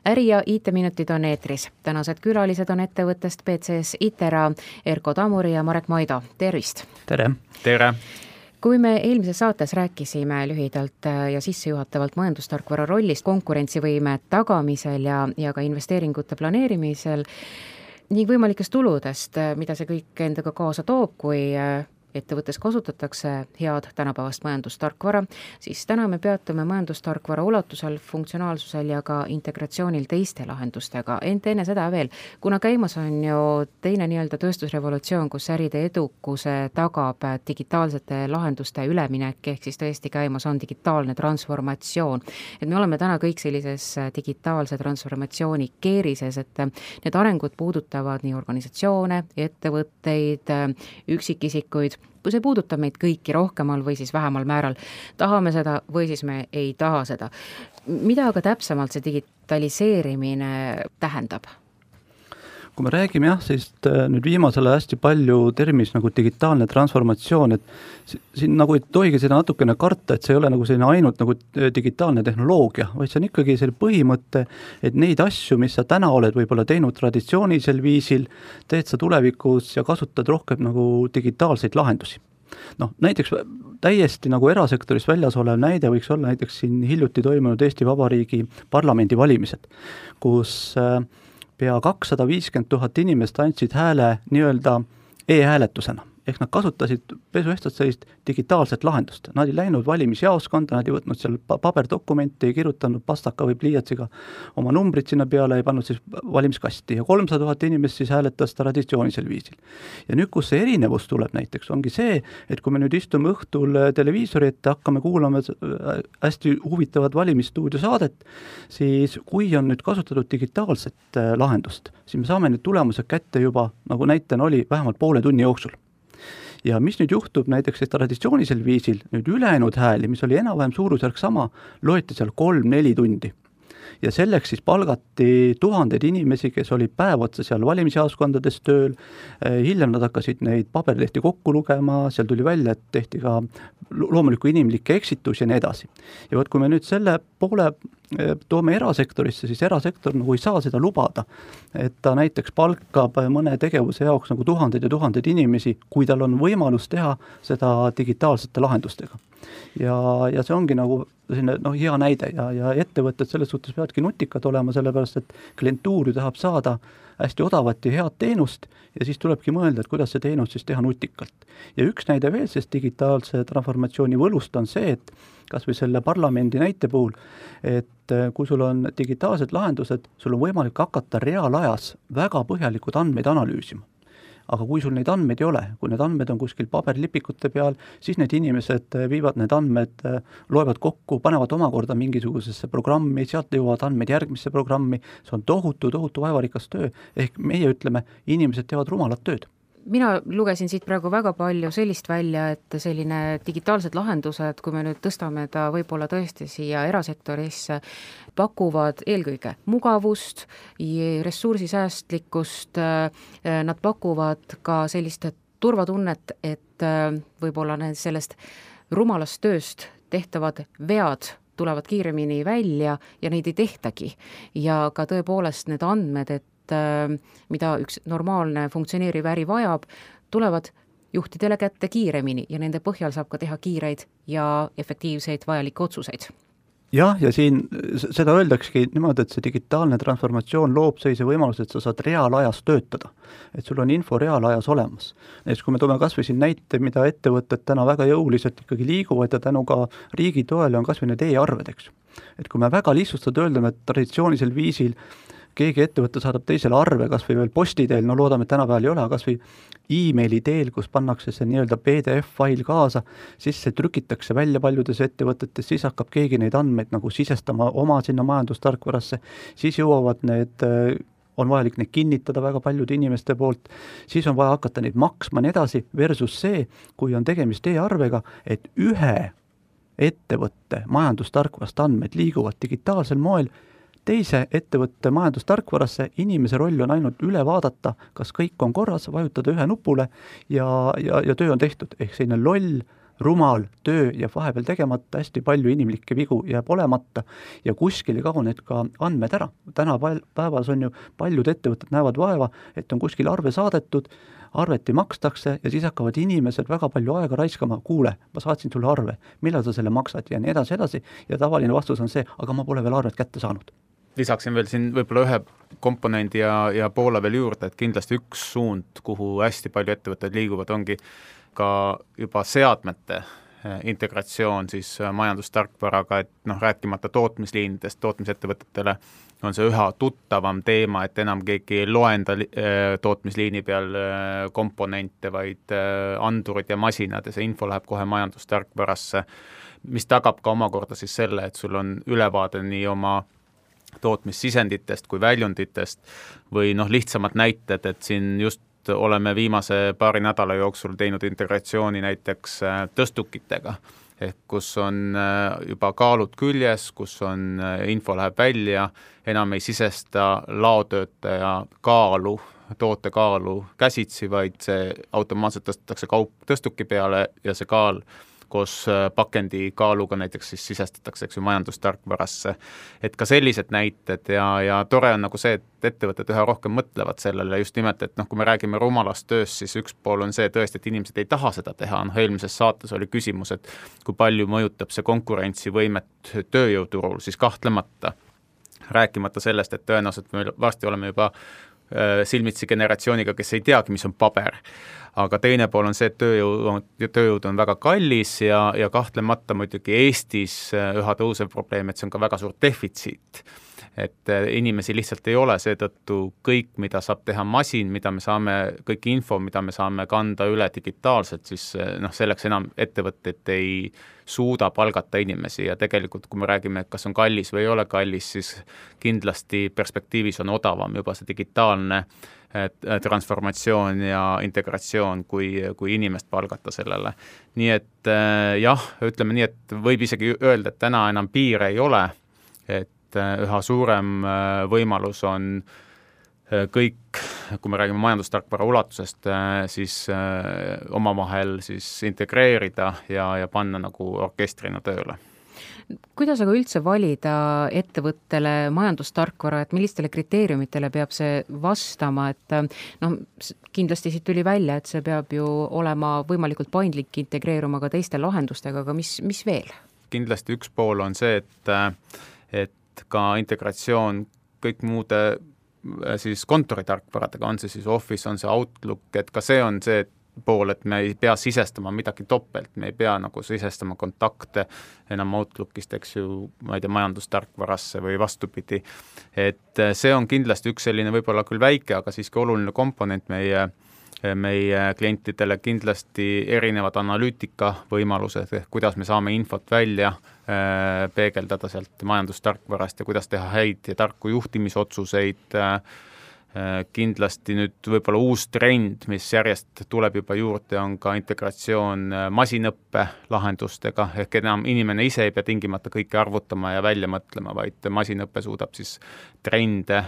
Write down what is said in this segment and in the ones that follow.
Äri- ja IT-minutid on eetris. Tänased külalised on ettevõttest PCS Itera, Erko Tamuri ja Marek Moido. Tervist! Tere! Tere! Kui me eelmises saates rääkisime lühidalt ja sissejuhatavalt majandustarkvara rollist konkurentsivõime tagamisel ja ka investeeringute planeerimisel ning võimalikest tuludest, mida see kõik endaga kaasa toob, kui ettevõttes kasutatakse head tänapäevast majandustarkvara, siis täna me peatume majandustarkvara ulatusel, funktsionaalsusel ja ka integratsioonil teiste lahendustega. Enne seda veel, kuna käimas on ju teine nii-öelda tööstusrevolutsioon, kus äride edukuse tagab digitaalsete lahenduste üleminek, ehk siis tõesti käimas on digitaalne transformatsioon. Et me oleme täna kõik sellises digitaalse transformatsiooni keerises, et need arengud puudutavad nii organisatsioone, ettevõtteid, üksikisikuid, kui see puudutab meid kõiki rohkemal või siis vähemal määral. Tahame seda või siis me ei taha seda. Mida aga täpsemalt see digitaliseerimine tähendab? Kui me räägime siis nüüd viimasele hästi palju termis nagu digitaalne transformatsioon, et siin nagu ei tohigi seda natukene karta, et see ei ole nagu selline ainult nagu digitaalne tehnoloogia, vaid see on ikkagi selle põhimõte, et neid asju, mis sa täna oled võib-olla teinud traditsioonisel viisil, teed sa tulevikus ja kasutad rohkem nagu digitaalseid lahendusi. Näiteks täiesti nagu erasektoris väljas olev näide võiks olla näiteks siin hiljuti toimunud Eesti Vabariigi parlamendi valimised, kus pea 250 000 inimest andsid hääle nii-öelda e-hääletusena. Ehk nad kasutasid pesuehtsalt sellist digitaalset lahendust. Nad ei läinud valimisjaoskonda, nad ei võtnud seal paberdokumenti, ei kirjutanud pastaka või pliiatsiga oma numbrid sinna peale, ei pannud siis valimiskasti. Ja 300 000 inimest siis hääletas traditsioonisel viisil. Ja nüüd, kus see erinevus tuleb näiteks, ongi see, et kui me nüüd istume õhtul televiisori ette, hakkame kuulama hästi huvitavat valimisstuudio saadet, siis kui on nüüd kasutatud digitaalset lahendust, siis me saame need tulemused kätte juba, nagu näitena oli, vähemalt poole tunni jooksul. Ja mis nüüd juhtub näiteks traditsioonisel viisil, nüüd ülejäänud hääli, mis oli enam-vähem suurusjärk sama, loeti seal 3-4 tundi. Ja selleks siis palgati tuhanded inimesi, kes olid päev otsa seal valimisjaoskondades tööl, hiljem nad hakkasid neid paberlehti kokku lugema, seal tuli välja, et tehti ka loomuliku inimlikke eksitus ja nii edasi. Ja kui me nüüd selle poole toome erasektorisse, siis erasektor nagu ei saa seda lubada, et ta näiteks palkab mõne tegevuse jaoks nagu tuhanded ja tuhanded inimesi, kui tal on võimalus teha seda digitaalsete lahendustega. Ja see ongi nagu selline, hea näide ja ettevõtted selles suhtes peavadki nutikad olema, sellepärast et klientuur ju tahab saada hästi odavat ja head teenust ja siis tulebki mõelda, et kuidas see teenus siis teha nutikalt. Ja üks näide veel sellest digitaalse transformatsiooni võlust on see, et kas või selle parlamendi näite puhul, et kui sul on digitaalsed lahendused, sul on võimalik hakata reaalajas väga põhjalikud andmeid analüüsima. Aga kui sul neid andmeid ei ole, kui need andmed on kuskil paberlipikute peal, siis need inimesed viivad need andmed, loevad kokku, panevad omakorda mingisugusesse programmi, sealt jõuavad andmed järgmisse programmi, see on tohutu vaevarikas töö, ehk meie ütleme, inimesed teevad rumalat tööd. Mina lugesin siit praegu väga palju sellist välja, et selline digitaalsed lahendused, kui me nüüd tõstame ta võib-olla tõesti siia erasektorisse, pakuvad eelkõige mugavust, ressursisäästlikkust, nad pakuvad ka sellist turvatunnet, et võib-olla sellest rumalast tööst tehtavad vead tulevad kiiremini välja ja neid ei tehtagi. Ja ka tõepoolest need andmed, et mida üks normaalne funktsioneeriv äri vajab, tulevad juhtidele kätte kiiremini ja nende põhjal saab ka teha kiireid ja efektiivseid vajalikke otsuseid. Ja siin seda öeldakski niimoodi, et see digitaalne transformatsioon loob sellise võimaluse, et sa saad reaalajas töötada. Et sul on info reaalajas olemas. Näiteks kui me toome kas või siin näite, mida ettevõtted täna väga jõuliselt ikkagi liiguvad ja tänu ka riigi toele on kas või need e-arved, eks. Et kui me väga lihtsustad öeldame, et traditsioonisel viisil keegi ettevõte saadab teisele arve, kas või veel posti teel, loodame, et tänapäeval ei ole, kas või e-maili teel, kus pannakse see nii-öelda PDF-fail kaasa, siis see trükitakse välja paljudes ettevõtetes, siis hakkab keegi neid andmeid nagu sisestama oma sinna majandustarkvarasse, siis jõuavad need, on vajalik neid kinnitada väga paljude inimeste poolt, siis on vaja hakata neid maksma nii edasi, versus see, kui on tegemist e-arvega, et ühe ettevõtte majandustarkvarast andmed liiguvad digitaalsel moel teise ettevõtte majandustarkvarasse, inimese roll on ainult üle vaadata, kas kõik on korras, vajutada ühe nupule ja töö on tehtud. Ehk selline loll rumal töö jääb vahepeal tegemata, hästi palju inimlikke vigu jääb olemata ja kuskil ei kao need ka andmed ära. Täna päevas on ju paljud ettevõtted näevad vaeva, et on kuskil arve saadetud, arveti makstakse ja siis hakkavad inimesed väga palju aega raiskama, kuule, ma saatsin sulle arve, millal sa selle maksad ja nii edasi ja tavaline vastus on see, aga ma pole veel arvet kätte saanud. Lisaksin veel siin võib-olla ühe komponendi ja poole veel juurde, et kindlasti üks suund, kuhu hästi palju ettevõtted liiguvad, ongi ka juba seadmete integratsioon siis majandustarkvaraga, et rääkimata tootmisliinidest, tootmisettevõtetele on see üha tuttavam teema, et enam keegi ei loenda tootmisliini peal komponente, vaid andurid ja masinad ja see info läheb kohe majandustarkvarasse, mis tagab ka omakorda siis selle, et sul on ülevaade nii oma tootmissisenditest kui väljunditest või lihtsamad näited, et siin just oleme viimase paari nädala jooksul teinud integratsiooni näiteks tõstukitega, ehk kus on juba kaalud küljes, kus on info läheb välja, enam ei sisesta laotöötaja kaalu, toote kaalu käsitsi, vaid see automaatselt tõstetakse kaup tõstuki peale ja see kaal koos pakendi kaaluga näiteks siis sisestatakse majandustarkvarasse. Et ka sellised näited ja tore on nagu see, et ettevõtted üha rohkem mõtlevad sellele just nimelt, et kui me räägime rumalast tööst, siis üks pool on see tõesti, et inimesed ei taha seda teha. Eelmises saates oli küsimus, et kui palju mõjutab see konkurentsivõimet tööjõuturul, siis kahtlemata. Rääkimata sellest, et tõenäoliselt me varsti oleme juba silmitsi generatsiooniga, kes ei teagi, mis on paber. Aga teine pool on see, et tööjõud on väga kallis ja kahtlemata muidugi Eestis üha tõusev probleem, et see on ka väga suur defitsiit. Et inimesi lihtsalt ei ole, seetõttu kõik, mida saab teha masin, mida me saame, kõik info, mida me saame kanda üle digitaalselt, siis selleks enam ettevõtted ei suuda palgata inimesi ja tegelikult, kui me räägime, et kas on kallis või ei ole kallis, siis kindlasti perspektiivis on odavam juba see digitaalne transformatsioon ja integratsioon, kui inimest palgata sellele. Nii et jah, ütleme nii, et võib isegi öelda, et täna enam piire ei ole, et üha suurem võimalus on kõik, kui me räägime majandustarkvara ulatusest, siis omavahel siis integreerida ja panna nagu orkestrina tööle. Kuidas aga üldse valida ettevõttele majandustarkvara, et millistele kriteeriumitele peab see vastama, et kindlasti siit tuli välja, et see peab ju olema võimalikult paindlik, integreeruma ka teiste lahendustega, aga mis veel? Kindlasti üks pool on see, et ka integratsioon kõik muude siis kontoritarkvaradega, on see siis Office, on see Outlook, et ka see on see pool, et me ei pea sisestama midagi topelt, me ei pea nagu sisestama kontakte enam Outlookist, eks ju, ma ei tea, majandustarkvarasse või vastupidi. Et see on kindlasti üks selline võib-olla küll väike, aga siiski oluline komponent meie klientidele, kindlasti erinevad analüütika võimalused, kuidas me saame infot välja peegeldada sealt majandustarkvarast ja kuidas teha häid ja tarku juhtimisotsuseid. Kindlasti nüüd võib-olla uus trend, mis järjest tuleb juba juurde, on ka integratsioon masinõppe lahendustega, ehk enam inimene ise ei pea tingimata kõike arvutama ja välja mõtlema, vaid masinõppe suudab siis trende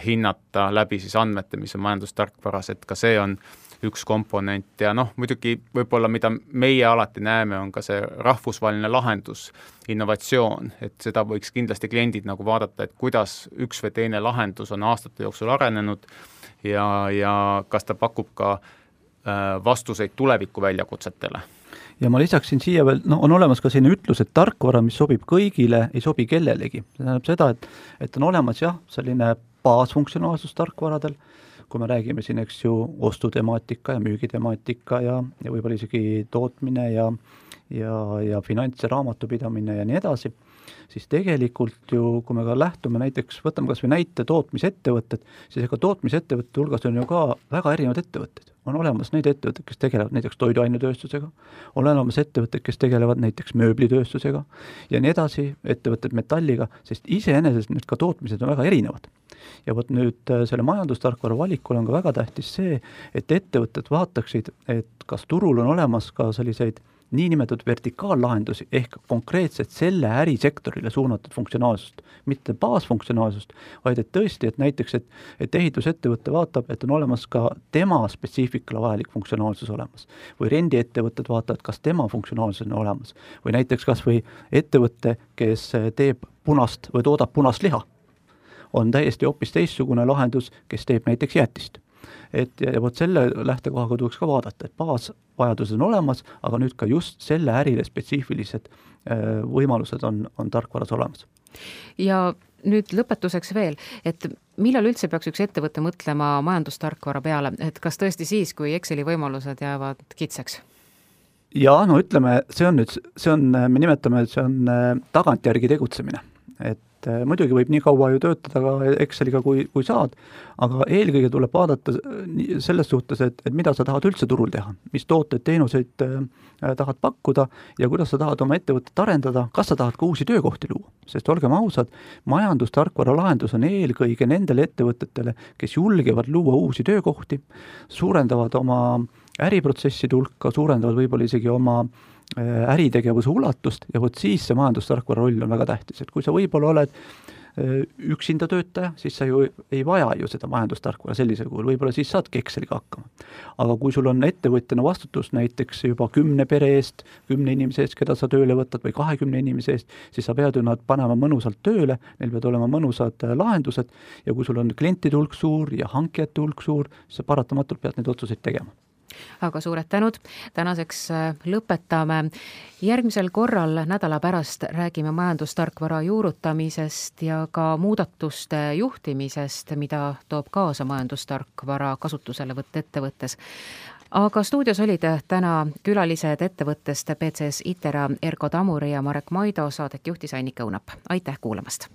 hinnata läbi siis andmete, mis on majandustarkvaras, et ka see on üks komponent ja muidugi võib-olla mida meie alati näeme, on ka see rahvusvaheline lahendus, innovatsioon, et seda võiks kindlasti kliendid nagu vaadata, et kuidas üks või teine lahendus on aastate jooksul arenenud ja kas ta pakub ka vastuseid tuleviku väljakutsetele. Ja ma lisaksin siia veel, on olemas ka selline ütlus, et tarkvara, mis sobib kõigile, ei sobi kellelegi. See tähendab seda, et on olemas selline baasfunktsionaalsus tarkvaradel, kui me räägime siin, eks ju, ostutemaatika ja müügitemaatika ja võib-olla isegi tootmine ja finants- ja raamatupidamine ja nii edasi, siis tegelikult ju, kui me ka lähtume näiteks, võtame kas või näite tootmisettevõtted, siis ega tootmisettevõtte hulgas on ju ka väga erinevad ettevõtted. On olemas neid ettevõtted, kes tegelevad näiteks toiduainetööstusega, on olemas ettevõtted, kes tegelevad näiteks mööblitööstusega ja nii edasi, ettevõtted metalliga, sest iseenesest need ka tootmised on väga erinevad. Ja võt nüüd selle majandustarkvara valikul on ka väga tähtis see, et ettevõtted vaataksid, et kas turul on olemas ka selliseid niinimetatud vertikaallahendusi ehk konkreetselt selle ärisektorile suunatud funktsionaalsust, mitte baasfunktsionaalsust, vaid et tõesti, et näiteks, et ehitusettevõte vaatab, et on olemas ka tema spetsiifikale vajalik funktsionaalsus olemas. Või rendiettevõtted vaatavad, kas tema funktsionaalsus on olemas. Või näiteks kas või ettevõte, kes teeb punast või toodab punast liha, on täiesti hoopis teistsugune lahendus, kes teeb näiteks jäätist. Ja vot selle lähtekohaga tuleks ka vaadata, et baasvajadused on olemas, aga nüüd ka just selle ärile spetsiifilised võimalused on tarkvaras olemas. Ja nüüd lõpetuseks veel, et millal üldse peaks üks ettevõte mõtlema majandustarkvara peale, et kas tõesti siis, kui Exceli võimalused jäävad kitsaks? Ja no ütleme, me nimetame, et see on tagantjärgi tegutsemine, et muidugi võib nii kaua ju töötada ka Exceliga, kui saad, aga eelkõige tuleb vaadata selles suhtes, et mida sa tahad üldse turul teha, mis tooteid, teenuseid tahad pakkuda ja kuidas sa tahad oma ettevõtet arendada, kas sa tahad ka uusi töökohti luua. Sest olgem ausad, majandustarkvara lahendus on eelkõige nendele ettevõtetele, kes julgevad luua uusi töökohti, suurendavad oma äriprotsesside hulka, suurendavad võib-olla isegi oma äritegevuse ulatust ja vot siis see majandustarkvara roll on väga tähtis, et kui sa võib-olla oled üksinda töötaja, siis sa ju ei vaja ju seda majandustarkvara sellisel kujul, võib-olla siis saadki Exceliga hakkama. Aga kui sul on ettevõtjana vastutus näiteks juba 10 pere eest, 10 inimese eest, keda sa tööle võtad või 20 inimese eest, siis sa pead ju nad panema mõnusalt tööle, neil pead olema mõnusad lahendused ja kui sul on klientide hulk suur ja hankijate hulk suur, siis sa paratamatult pead neid otsuseid tegema. Aga suured tänud, tänaseks lõpetame. Järgmisel korral nädala pärast räägime majandustarkvara juurutamisest ja ka muudatuste juhtimisest, mida toob kaasa majandustarkvara kasutuselevõtt ettevõttes. Aga stuudios olid täna külalised ettevõttest PCS Itera Erko Tamuri ja Marek Maido, saadet juhtis Annika Õunap. Aitäh kuulamast!